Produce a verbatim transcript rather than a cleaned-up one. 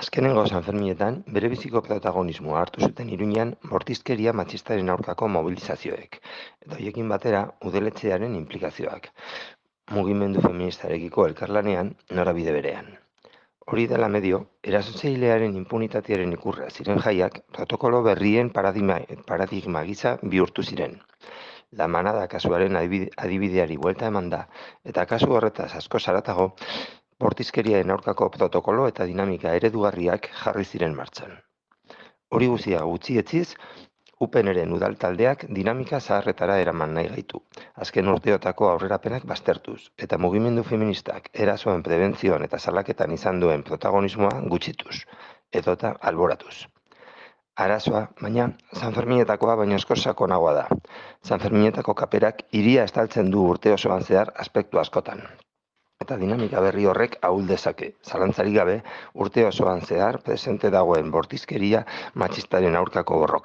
Azkenengo Sanferminetan berebiziko protagonismoa hartu zuten Iruñean bortizkeria matxistaren aurkako mobilizazioek, eta horiekin batera udaletxearen inplikazioak, mugimendu feministarekiko elkarlanean norabide berean. Hori dela medio, erasotzailearen inpunitatearen ikurra ziren jaiak protokolo berrien paradigma, paradigma gisa bihurtu ziren. La Manada kasuaren adibide- adibideari buelta eman da, eta kasu horretaz asko zaratago, bortizkeriaren aurkako protokolo eta dinamika eredugarriak jarri ziren martxan. Hori guztia gutxi etziz, U P N-ren udal taldeak dinamika zaharretara eraman nahi gaitu, azken urteotako aurrerapenak baztertuz, eta mugimendu feministak erasoen prebentzioan eta salaketan izan duen protagonismoa gutxituz, edota alboratuz. Arazoa, baina, Sanferminetakoa baino askoz sakonagoa da. Sanferminetako kaperak hiria estaltzen du urte osoan zehar aspektu askotan. Eta dinamika berri horrek ahul dezake, zalantzarik gabe, urte osoan zehar presente dagoen bortizkeria matxistaren aurkako borroka.